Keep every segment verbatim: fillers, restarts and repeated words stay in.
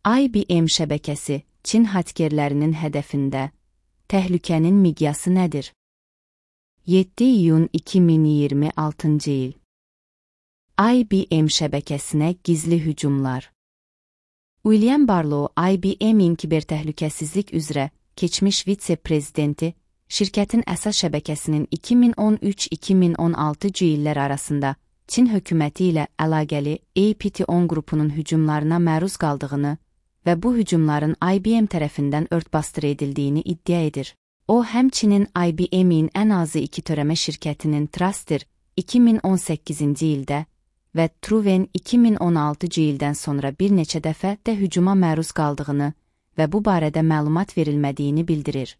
I B M şəbəkəsi Çin hakkerlərinin hədəfində. Təhlükənin miqyası nədir? yeddi iyun iki min iyirmi altıncı il. I B M şəbəkəsinə gizli hücumlar. William Barlow, I B M-in kibertəhlükəsizlik üzrə keçmiş vitse-prezidenti, şirkətin əsas şəbəkəsinin iki min on üç iki min on altıncı illər arasında Çin hökuməti ilə əlaqəli A P T on qrupunun hücumlarına məruz qaldığını və bu hücumların I B M tərəfindən örtbasdır edildiyini iddia edir. O, həmçinin I B M-in ən azı iki törəmə şirkətinin Truster iki min on səkkizinci ildə və Truven iki min on altıncı ildən sonra bir neçə dəfə də hücuma məruz qaldığını və bu barədə məlumat verilmədiyini bildirir.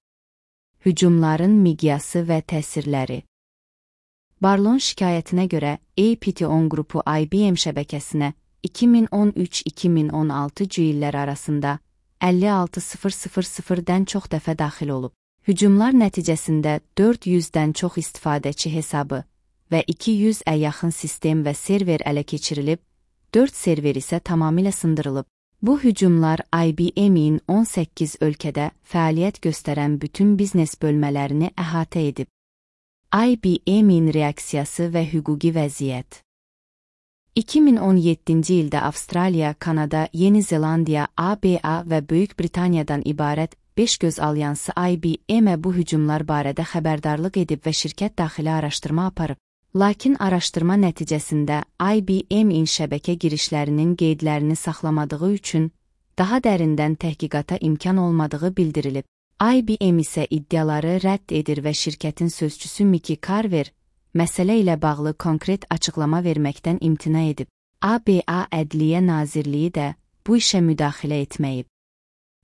Hücumların miqyası və təsirləri. Barlow'un şikayətinə görə A P T on qrupu I B M şəbəkəsinə iki min on üç iki min on altıncı illər arasında əlli altı min dən çox dəfə daxil olub. Hücumlar nəticəsində dörd yüzdən çox istifadəçi hesabı və iki yüzə yaxın sistem və server ələ keçirilib, dörd server isə tamamilə sındırılıb. Bu hücumlar I B M-in on səkkiz ölkədə fəaliyyət göstərən bütün biznes bölmələrini əhatə edib. I B M-in reaksiyası və hüquqi vəziyyət. iki min on yeddinci ildə Avstraliya, Kanada, Yeni Zelandiya, A B A və Böyük Britaniyadan ibarət beş göz alyansı I B M-ə bu hücumlar barədə xəbərdarlıq edib və şirkət daxili araşdırma aparıb. Lakin araşdırma nəticəsində I B M-in şəbəkə girişlərinin qeydlərini saxlamadığı üçün daha dərindən təhqiqata imkan olmadığı bildirilib. I B M isə iddiaları rədd edir və şirkətin sözçüsü Mickey Carver məsələ ilə bağlı konkret açıqlama verməkdən imtina edib. A B A Ədliyyə Nazirliyi də bu işə müdaxilə etməyib.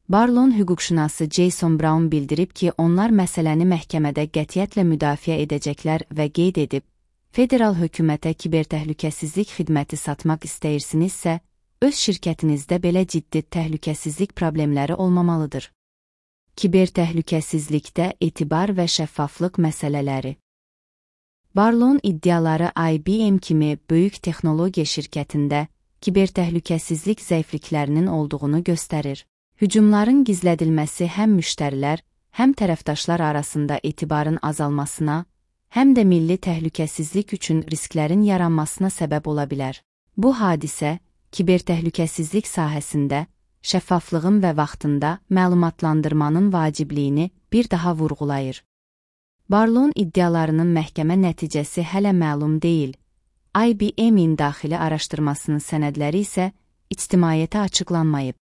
Barlow'un hüquqşünası Jason Brown bildirib ki, onlar məsələni məhkəmədə qətiyyətlə müdafiə edəcəklər və qeyd edib, federal hökumətə kibertəhlükəsizlik xidməti satmaq istəyirsinizsə, öz şirkətinizdə belə ciddi təhlükəsizlik problemləri olmamalıdır. Kibertəhlükəsizlikdə etibar və şəffaflıq məsələləri. Barlow'un iddiaları I B M kimi böyük texnologiya şirkətində kibertəhlükəsizlik zəifliklərinin olduğunu göstərir. Hücumların gizlədilməsi həm müştərilər, həm tərəfdaşlar arasında etibarın azalmasına, həm də milli təhlükəsizlik üçün risklərin yaranmasına səbəb ola bilər. Bu hadisə, kibertəhlükəsizlik sahəsində şəffaflığın və vaxtında məlumatlandırmanın vacibliyini bir daha vurğulayır. Barlow'un iddialarının məhkəmə nəticəsi hələ məlum deyil. I B M-in daxili araşdırmasının sənədləri isə ictimaiyyətə açıqlanmayıb.